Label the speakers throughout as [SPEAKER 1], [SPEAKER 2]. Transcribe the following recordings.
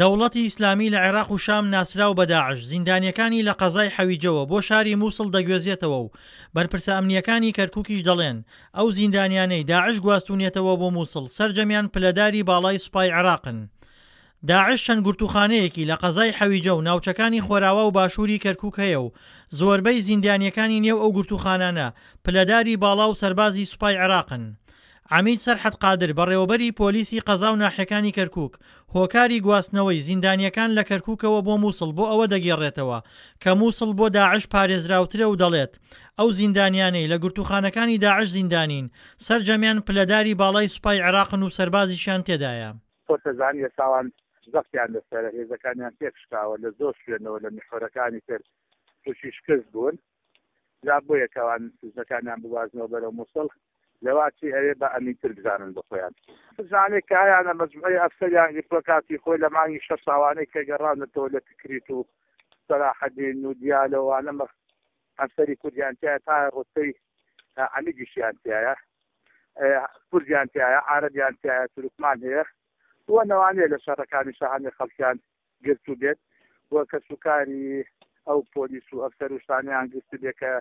[SPEAKER 1] دەوڵەتی ئیسلامی لە عێراق و شام ناسراو بە داعش، زیندانییەکانی لە قەزای حەویجەوە بۆ شاری موسڵ دەگوێزێتەوە و بەرپرسە ئەمنییەکانی کەرکوکیش دەڵێن، ئەو زیندانیانەی داعش گواستوونیەتەوە بۆ موسڵ سەرجەمیان پلەداری باڵای سوپای عێراقن. داعش چەند گرتووخانەیەکی لە قەزای حەویجە و ناوچەکانی خۆراوا و باشووری کەرکوک هەیە و زۆربەی زیندانییەکانی نێو ئەو گرتووخانانە پلەداری باڵا و سەربازی سوپای عێراقن. عەمید سەرحەد قادر، بەڕێوەبەری پۆلیسی قەزا و ناحیەکانی کەرکوک، هۆکاری گواستنەوەی زیندانییەکان لە کەرکوکەوە بۆ موسڵ بۆ ئەوە دەگێڕێتەوە کە موسڵ بۆ داعش پارێزراوترە و دەڵێت، ئەو زیندانیانەی لە گرتووخانەکانی داعش زیندانین، سەرجەمیان پلەداری باڵای سوپای عێراقن و سەربازیشیان تێدایە.
[SPEAKER 2] خۆت دەزانی ئێستا ئەوان زەختیان لەسەرە، هێزەکانیان تێکشکاوە، لە زۆر شوێنەوە لە میحوەرەکانی تر تووشی شکست بوون. جا بۆیە کە ئەوان سزەکانیان بگوازنەوە بەرەو موسڵ لەواچی ئەوێ بە ئەمینتر بزانن بۆ خۆیان. بزانێ کە هەیانە مەجموعەی ئەفسەریان گرتووە کاتی خۆی لە مانگی شەش ئەوانەی کە گەڕاونەتەوە لە تکریت و سەلاحەدین و دیالە و ئەوانە ئەفسەری کوردیان تیایە تا ڕوتبەی عەمیدیشیان تیایە کوردیان تیایە عارەبیان تیایە تورکمان هەیە و نەوانەیە لە شەڕەکانی شەهانێ خەڵکیان گرتوبێت و کەسوکاری ئەو پۆلیس و ئەفسەر و شتانەیان گرتبێت کە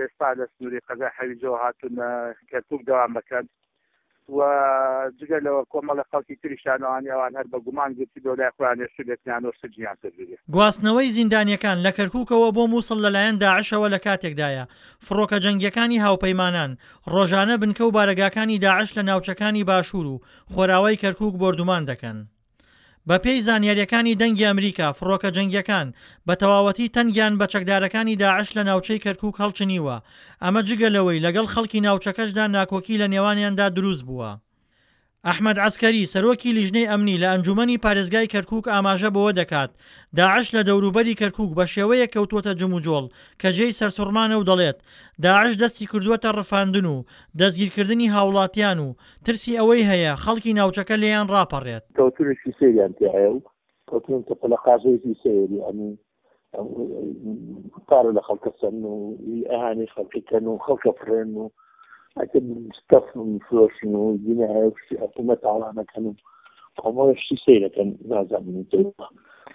[SPEAKER 2] ئێستا لە سنووری قەزای حەویجەوە هاتوون کەرکوک دەوام بکەن و جگە لەوە کۆمەڵە خەڵکی تریشیان ئەوانی ئەوان هەر بە گومان گرتبێ و لای خۆیان هێشتبێتیان و سجنیان کردبێ.
[SPEAKER 1] گواستنەوەی زیندانییەکان لە کەرکوکەوە بۆ موسڵ لەلایەن داعشەوە لە کاتێکدایە، فڕۆکە جەنگییەکانی هاوپەیمانان ڕۆژانە بنکە و بارەگاکانی داعش لە ناوچەکانی باشوور و خۆراوای کەرکوک بۆردومان دەکەن. بەپێی زانیارییەکانی دەنگی ئەمریکا، فڕۆکە جەنگییەکان بە تەواوەتی تەنگیان بە چەکدارەکانی داعش لە ناوچەی کەرکوک هەڵچنیوە، ئەمە جگە لەوەی لەگەڵ خەڵکی ناوچەکەشدا ناکۆکی لە نێوانیاندا دروست بووە. ئەحمەد عەسکەری، سەرۆکی لیژنەی ئەمنی لە ئەنجومەنی پارێزگای کەرکوک ئاماژە بەوە دەکات، داعش لە دەوروبەری کەرکوک بە شێوەیەک کەوتووەتە جموجۆڵ کە جێی سەرسوڕمانە و دەڵێت، داعش دەستی کردووەتە ڕفاندن و دەستگیرکردنی هاوڵاتیان و ترسی ئەوەی هەیە خەڵکی ناوچەکە لێیان ڕاپەڕێت.
[SPEAKER 3] کەوتنێکی سەیریان تیایە و کەوتنێتە پەلەقاژەیەکی سەیر یانی پارە لە خەڵکە سەن و ئەهانی خەڵکی کەن و خەڵکە فڕێن و ستەف فرۆشن و دینایە و شتی حکوومەت تاڵانەکەن و کۆمەڵە شتی سەیرەکەن نازانم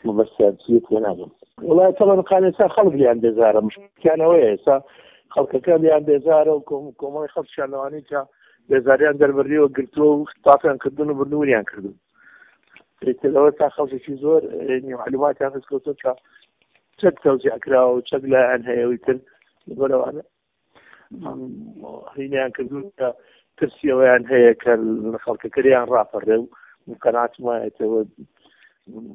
[SPEAKER 3] مەبەستیان چییە تێناگەم. وڵای تەڵەن قان ئێستا خەڵک لیان بێزارە مشکیانەوەیە ئێستا خەڵکەکە لیان بێزارە و کۆمەڵی خەڵکیان لەوانەی کە بێزاریان دەربڕیوە گرتووە و تافیان کردون و بردووریان کردون ئیتر ئەوە تا خەڵکێکی زۆر معلوماتیان دەستکەوتووە کە چەک تەوزیع کراوە و چەک لایان هەیە و ئیتر لەبەرئەوانە هینیان کردوون کە ترسی ئەوەیان هەیە کە خەڵکەکە لێیان ڕاپەڕێ و قەناعەتم وایەتەوە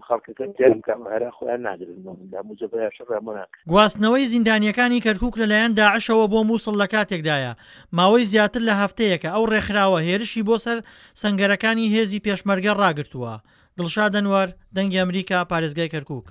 [SPEAKER 3] خەڵکەکە تێرم کە هەرا خۆیان ناگرن لە موجەبەیان شەڕیان بۆ ناکەن.
[SPEAKER 1] گواستنەوەی زیندانییەکانی کەرکوک لەلایەن داعشەوە بۆ موسڵ لەکاتێکدایە، ماوەی زیاتر لە هەفتەیەکە ئەو ڕێکخراوە هێرشی بۆ سەر سەنگەرەکانی هێزی پێشمەرگە ڕاگرتووە. دڵشاد ئەنوەر، دەنگی ئەمریکا، پارێزگای کەرکوک.